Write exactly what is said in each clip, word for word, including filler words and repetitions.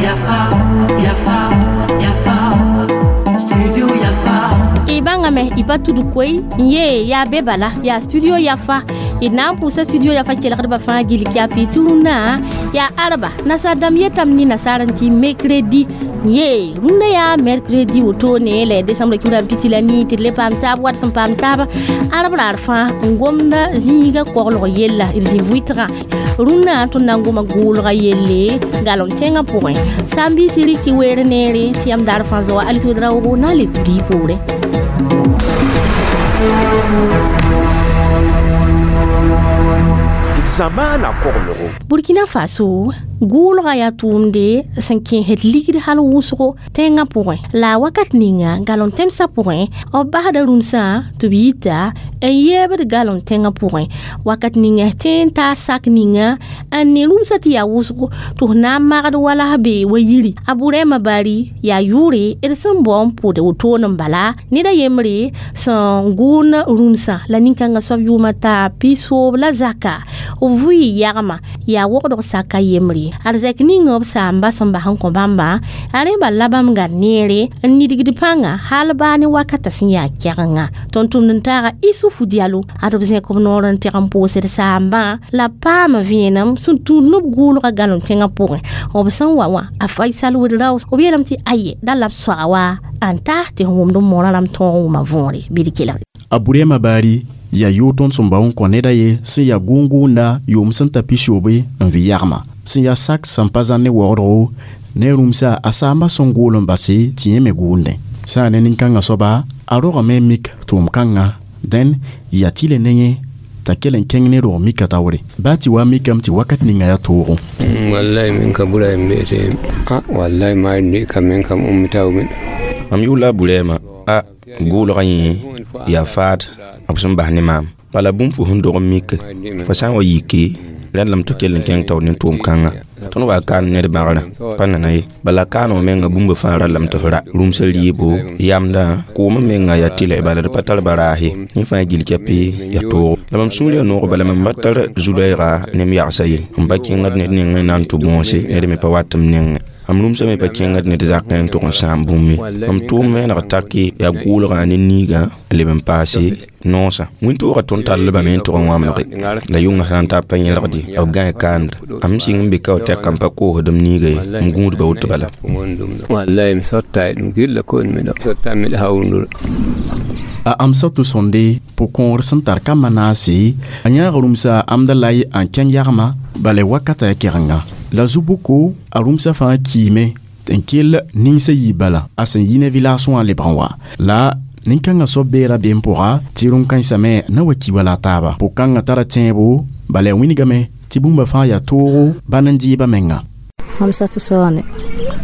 Yafa, Yafa, Yafa, Studio Yafa. Ibangame ipa tudu koy ye ya bebala ya Studio Yafa ina pusa Studio Yafa kelgdba fãa gil kya pituruna ya arba nasadam yetam ni nasaranti mercredi ye rũndã yaa mercredi wotone la décembre kiuda pisi la nii tɩ d le paam taab wat sẽn paam taaba arb raar fãa n gomda zĩiga koglg yella d zĩ vʋɩtgã rũndã tõnd na n goma gʋʋlga yelle galem tẽngã pʋgẽ sãn-biisi rɩk weer neere tɩ yãmb daar fãa zoa Alice Ouedraogo na n le tuda y poorẽ. Zamana koglgo. Burkina Faso gʋʋlga yaa tʋʋmde sẽn kẽesd ligd hal wʋsgo tẽngã pʋgẽ la wakat ninga galem tẽmsã pʋgẽ b basda rũmsã tɩ b yita n yeebd galem tẽngã pʋgẽ wakat ninga tẽ n taa sak ninga n ne rũmsã tɩ yaa wʋsgo tɩ f na n magd wala f bee wa yiri a Burema Bari yaa yʋʋre d sẽn bao n pʋd wotone n bala ned a yembre sẽn gʋʋn rũmsã la nin-kãngã soab yʋʋmã taa pisoob la zaka b vʋɩ yagma yaa wogdg saka yembre arzɛk ninga b saamba sẽn bas n kõ bãmba a rẽ bal la bãmb gad neere n nidgd pãnga hal baa ne wakata sẽn yaa kɛgenga tõnd tʋmd n taaga Isufu Diallo ad b zẽk b noor n teg n pʋʋsd saambã la paam vẽenem sẽn tũud nob gʋʋlga galem tẽngã pʋgẽ b sẽn wa wã a Faisal Ouedraogo b yeelame tɩ aye da la b soaga wa n taas tɩ f wʋmd n moorã rãmb tõog n wʋma võore bɩ d kelg. A Burema Bari yaa yʋʋr tõnd sẽn bao n kõ neda ye sẽn yaa gʋʋn-gʋʋnda yʋʋm sẽn ta pisoobe n vɩ yagma sẽn yaa sak sẽn pa zãn ne waoodgo ne rũmsa a saambã sẽn gʋʋl n base tɩ yẽ me gʋʋndẽ sã n ne nin-kãngã soaba a rogame n mik tʋʋm-kãngã dẽn yaa tɩ le ne yẽ t'a kell n kẽng ne rog mika taoore baa tɩ wa mikame tɩ wakat ninga yaa toogo. Wallahi min ka bura en mbiyete a wallahi maari ndi kam min kam ummitaw min. Mam yʋʋla a Burema a gʋʋlgã yẽ yaa faad b sẽn bas ne maam bala bũmb fo sẽn dog n mik fo sã n wa yike rẽnd lame tɩ kell n kẽng taoor ne tʋʋm-kãngã tõnd wa kaan ned bãgrã pa nana ye bala kaaneg menga bũmba fãa rallame tɩ f ra rũmsã rɩɩbo yamdã koomã menga yaa tɩlɛ bala d pa tar baraas ye yẽ fãa gil kɛpɩ yaa toogo la mam sũur yaa noog bala mam ba tar zu-loɛɛga ne m yagsa ye m pa kẽngd ned nengẽ na n tʋ bõose ned me pa wat m nengẽ am rũmsã me pa kẽngd ned zakẽ n tʋg n sãam bũmb ye mam tʋʋm vẽeneg take yaa gʋʋlgã ne niigã n leb n paase noosã wĩntoogã tõnd tallbame n tʋg n wãmdge la yʋngã sã n ta pa yẽlgde b gãe kaand am sɩng n be ka tɛka n pa koosd m niiga ye m gũudba woto bala. Wallahi mi sotta e ɗum gilla ko miɗo sotta miɗo hawndura. A Amsatou Sonde pʋ-kõor sẽn tar kambã naase a yãag rũmsa Amdalay n kẽng yagma bala wakata ya kɛgenga la zu-boko a rũmsã fãa kiime n kell ninsã yiib bala a sẽn yi ne village wã lebg n wa la nin-kãngã soab beera be n pʋga tɩ rũm-kãensã me na wa ki wala a taaba pʋg-kãngã tara tẽebo bala ya wĩnigame tɩ bũmba fãa yaa toogo bãn n dɩɩba menga. Amsatou Sonde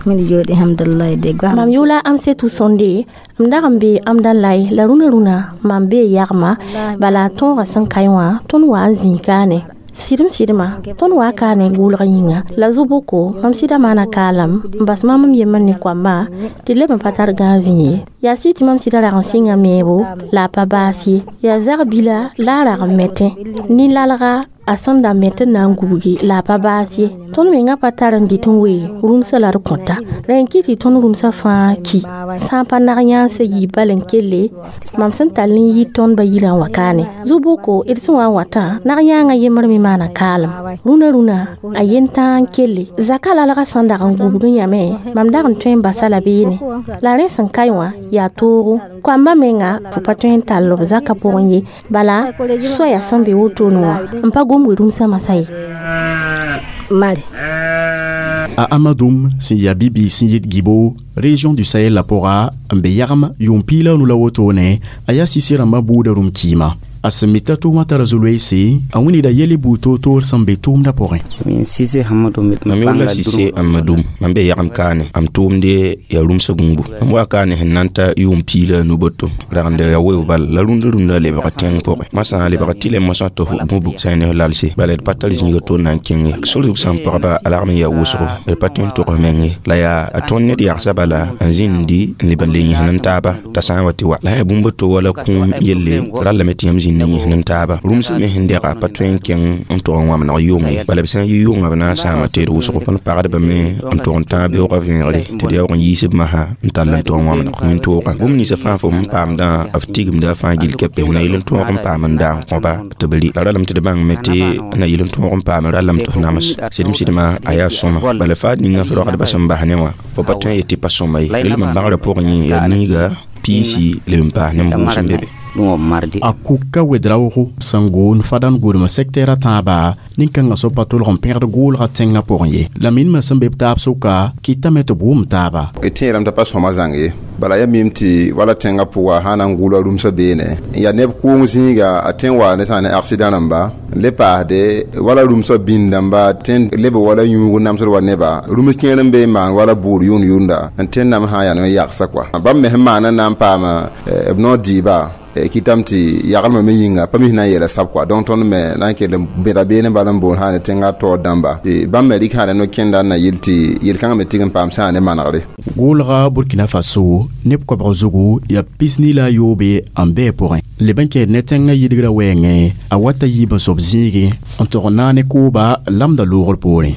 min jooɗi hamdullahi de mam yʋʋla Amsatou Sonde m dag n be Amdalay la rũnã rũnã mam bee yagma bala tõogã sẽn kae wã tõnd wa n zĩig kaane sɩdem sɩdmã tõnd wa kaane gʋʋlgã yĩnga la zu-boko mam sɩda maana kaalam n bas mam m yembr ne koambã tɩ d leb n pa tar gãag zĩ ye yaa sɩ tɩ mam sɩda rag n sɩnga meebo la a pa baas ye yaa zag bila la a rag n metẽ nin-lalga a sẽn da met n na n gubgi la a pa baas ye tõnd mengã pa tar n dɩt n wee rũmsã la d kõta rẽ n kɩ tɩ tõnd rũmsã fãa ki sã n pa nag yãansa yiib bal n kelle mam sẽn tall n yi tõnd ba yirã n wa kaane zu-boko d sẽn wa n watã nag yãangã yembr me maana kaalem rũnã rũnã a yen-tãag n kelle zaka lalgã sẽn dag n gubg n yame mam dag n tõe n basa la beene la rẽ sẽn kae wã yaa toogo koambã menga fo pa tõe n tall b zakã pʋgẽ ye bala soaya sẽn be wotone wã n pa gomg rũmsã masã ye. Mari. A Amadoum sẽn yaa bibiig sẽn yit Gibo région du Sahel la pʋga n be yagm yʋʋm piig la a nu la wotone a yaa sise rãmbã buudã rũm kiima a sẽn mi t'a tʋʋmã tara zu-loeese a wĩnida yɛl buud toor-toor sẽn be tʋʋmdã pʋgẽ. Mam yʋʋla Sise Amadou mam be yagem kaane am tʋʋmde yaa rũmsã gũubu mam wa kaane sẽn na n ta yʋʋm piig la a nu boto ragenda yaa weoog bala la rũndã rũndã lebga tẽng pʋgẽ masã lebga tɩ le mosã tɩ f gũbu sã ne f lalse bala d pa tar zĩiga to na n kẽng ye sor zug sã n pagba a lagm n yaa wʋsgo d pa tõe n tʋgs meng ye la yaa a tõnd ned yagsã bala n zĩndi n leb n le yẽsn n taaba t'a sã n wa tɩ wa la sã yaa bũmb to wala kũum yelle rallame tɩ yãmb zĩnd ne yẽs nin taaba rũmsã me sẽn dɛga pa tõe n kẽng n tog n wãmneg yʋng ye bala b sã n yi yʋngã b na n sãama teed wʋsgo tõnd pagdbame n tog n tãag beoogã vẽegre tɩ d yaoog n yiis b masã n tall n tog n wãmneg wẽn-toogã bũmb ninsã fãa fo sẽn paamdã f tigimda fãa gill kɛpes na yɩl n tõog n paam n daang kõba tɩ b rɩ la ralame tɩ d bãngme tɩ na yɩl n tõog n paam ralame tɩ f nams sɩdem sɩdmã a yaa sõma bala faad ninga f rogdbã sẽn bas ne wã fo pa tõe n yet tɩ pa sõma ye rel n bãgrã pʋgẽ yẽ yaa niiga piisi leb n paas ne bʋʋs n be be a kuka wedraoogo sẽn goon fadan gʋdem sɛktɛɛr a tãaba nin-kãngã soab pa tolg n pẽgd goolga tẽngã pʋgẽ ye la minmã sẽn be b taab sʋka kɩtame tɩ b wʋm taaba d tẽedame t'a pa sõma zãng ye bala ya mim tɩ wala tẽngã pʋga sã na n gʋʋla rũmsã beene n yaa neb kʋʋng zĩiga a tõe n wa ne sã ne accident rãmba n le paasde wala rũmsã bĩnd-dãmba tõe n leb wala yũug n namsd wa neba rũms kẽer n be n maan wala bʋʋd yʋnd yʋnda n tõe n nam sã yaa ne yagsa kɔa bãmb me sẽn maana n na n paama b noor dɩɩba kɩtame tɩ yagelmã me yĩnga pa mis na n yeela sab kɔa donc tõnd me na n kell n bẽda beene bala n boond sã ne tẽngã taoor dãmba tɩ bãmb me rɩk sã ne no-kẽnda n na yɩl tɩ yel-kãngã me tig n paam sã ne manegre goolga burkina faso neb koabg zugu yaa pisni la a yoobe n bɩ pʋgẽ leb n kɛɛd ne tẽngã yidgrã wɛɛngẽ a wata yiib n sob zĩige n tog n naane kooba lamda loogr poorẽ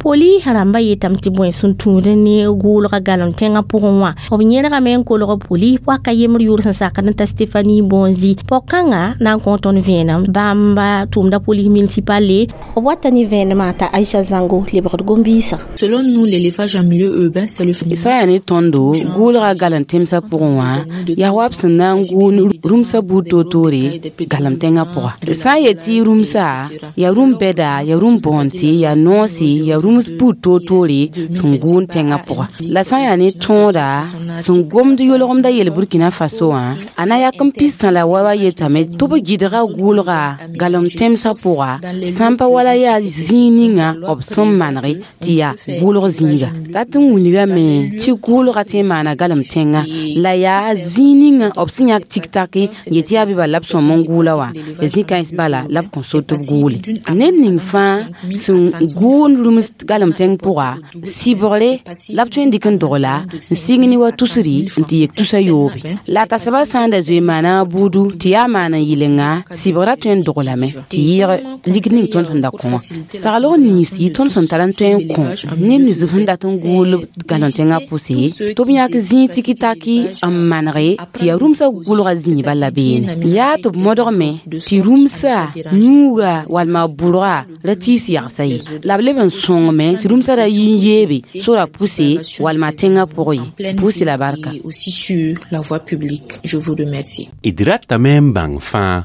poli rãmba yetame tɩ bõe sẽn tũud ne goolga galem tẽngã pʋgẽ wã b yẽlgame n kolg poli paka yembr yʋʋr sẽn sakd n ta Stéphanie Bonzi pɔg-kãngã na n kõ tõnd vẽenem bãmba tʋʋmda police municipale b wata ne vẽenemã t'a Aïcha Zango lebgd gom-biisã. Selon nous, l'élevage en milieu urbain, c'est le sã yaa ne tõndo gʋʋlga galem tẽmsã pʋgẽ wã yaa wa b sẽn na n gʋʋn rũmsã buud toor-toore galem tẽngã pʋga sã n yet tɩ rũmsa yaa rũm bɛda yaa rũm bõonse yaa noose yaa rũms buud toor-toore sẽn gʋʋn tẽngã pʋga la sã n yaa ne tõoda sẽn gomd yolgemda yel Burkina Faso wã a na yak n pistã la wa wa yetame tɩ b gɩdga gʋʋlga galem tẽmsã pʋga sã n pa wala yaa zĩig ninga b sẽn manege tɩ yaa gʋʋlg zĩiga dat n wilgame tɩ gʋʋlga tõe n maana galem tẽngã la yaa zĩig ninga b sẽn yãk tik-tak n yet yaa bɩ bala la b sõm n gʋʋla wã ya zĩ-kãens bala la b kõn so tɩ b gʋʋle ned ning fãa sẽn gʋʋnd rũms galem tẽng pʋga sɩbgre la b tõe n dɩk n dogla n sɩng ne wa tusri n tɩ yek tusa yoobe la tasba sã n da zoe maana buudu tɩ yaa maan n yɩlenga sɩbgrã tõe n doglame tɩ yɩɩg lig ning tõnd sẽn da kõ wã saglg ninsi tõnd sẽn tar n tõe n kõ neb nins sẽn dat n gʋʋl galem tẽngã pʋse tɩ b yãk zĩig tiki-taki n manege tɩ yaa rũmsã gʋlga zĩiba la beene yaa tɩ b modgme tɩ rũmsã yũuga walma bʋrga ra tiis yagsa ye la b leb n sõngme tɩ rũmsã ra yi n yeebe sora pʋse walma tẽngã pʋgẽ ye pʋse la barka. Aussi sur la voie publique. Je vous remercie. D ratame n bãng fãa.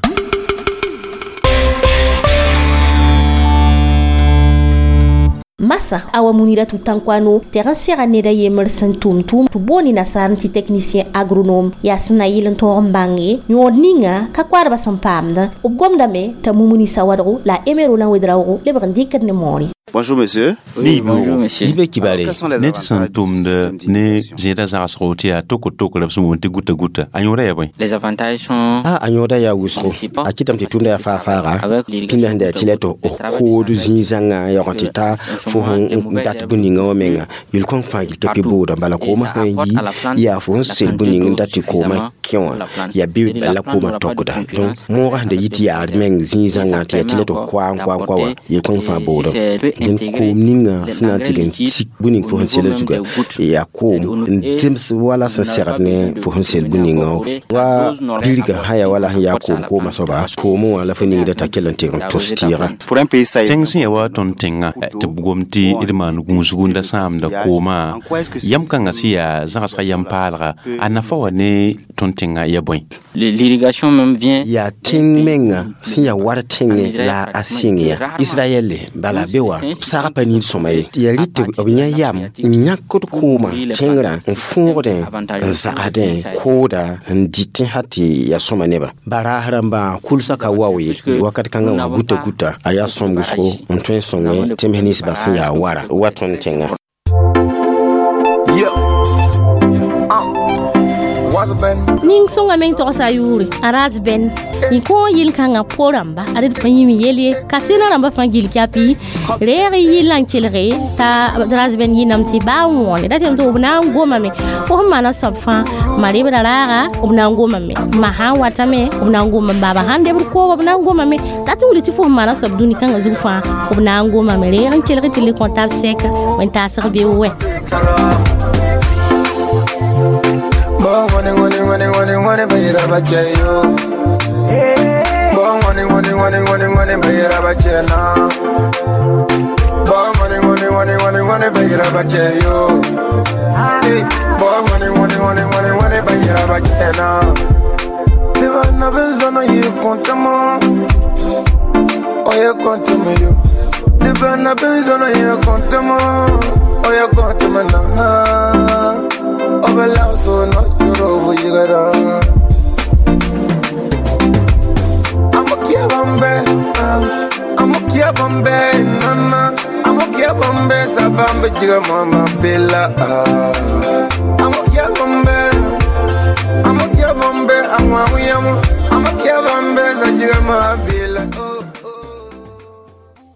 Masa awa munira tutankwano tɩg n sega ned a yembr sẽn tʋm tʋʋm tɩ booni nasaar tɩ technicien agronome yaa sẽn na yɩl n tõog n bãnge yõod ninga ka koadbã sẽn paamdã b gomdame t'a mumuni sawadgo la a emero la wedraoogo lebg n dɩkd ne moore. Bonjour monsieur. Oui, bonjour monsieur. Yibe kibare. Ned sẽn tʋmd ne zẽeda zagsgo tɩ yaa toko-toko la b sẽn woon tɩ guta-guta a yõoda yaa bõe Les avantages sont a a yõoda yaa wʋsgo a kɩtame tɩ tʋmda yaa faa-faaga tɩ me sẽn da yaa tɩ la tɩ kood zĩig-zãngã n yaoog tɩ ta fo sẽn n dat bũn-ninga wã menga yel-kõn fãa gil ka pɩ bʋʋda bala koomã sã n yi yaa fo sẽn sel bũn-ning n dat tɩ koomã kẽ wã yaa bɩ la koomã tokda donc moogã sẽn da yit yaar meng zĩig-zãngã tɩ yaa tɩ la tɩ koa n koa n koa wã yel-kõn fãa bʋʋda dẽn koom ninga sẽn na n tɩg n tik bũn-ning fo sẽn sela zuga yaa koom n zems wala sẽn segd ne fo sẽn sel bũn-ningã wa bilga sã yaa wala sẽn yaa koom koomã soaba koomẽ wã la fo ningda t'a kell n tɩg n tʋs tɩɩga tẽng sẽn yaa wa tõnd tẽngã tɩ b gom tɩ d maan gũusgu n da sãamda koomã yam kãngã sẽn yaa zãgsga yam paalga a nafa wa ne tõnd tẽngã ya bõe L'irrigation même vient yaa tẽng menga sẽn yaa war tẽngẽ la a sɩng ya israɛl bala be wa sagã pa nin sõma ye yaa rɩt tɩ b yã yam n yãkd koomã tẽngrã n fõogdẽ n zagsdẽ kooda n dɩtẽ ha tɩ yaa sõma nebã baraas rãmbã kulsã ka wao ye wakat kãngã wã guta guta a yaa sõm wʋsgo n tõe n sõngẽ tẽms ninsbã sẽn yaa wara wa tõnd tẽngã Yeah. Uh. What's up, Ning sõnga meng togsa a yʋʋre a raz bɛn y kõ yel-kãngã po-rãmba ad d pa yĩm yel ye ka sẽna rãmbã fãa gill kyapi reeg y yɩl n kelge t'a raz bɛn yɩnam tɩ baa wõone da tɩ b na n gomame fo sẽn maana soab fãa ma rebra raaga b na n gomame ma sã n watame b na n gomame baaba sãn debd kooba b na n gomame dat n wilg tɩ fo sẽn maana soab dũni kãngã zug fãa b na n gomame reeg n kelg tɩ le kõ tab sɛka wẽn-taasg be wɛ. Money, money, money, money, money, baby, yo. Money, money, money, money, money, baby, na. Money, money, money, money, money, baby, yo. Money, money, money, money, money, baby, na. Never, never, zona you compte-moi. Oh, you compte-moi, yo. Never, never, zona you compte-moi. Oh, you compte-moi, na. Obela so no yoro vujigara. I'm okay bombe, I'm okay bombe, nana. I'm okay bombe, sabambe jiga mama bella. I'm okay bombe, I'm okay bombe, I'm I'm okay bombe, sajiga mama bella.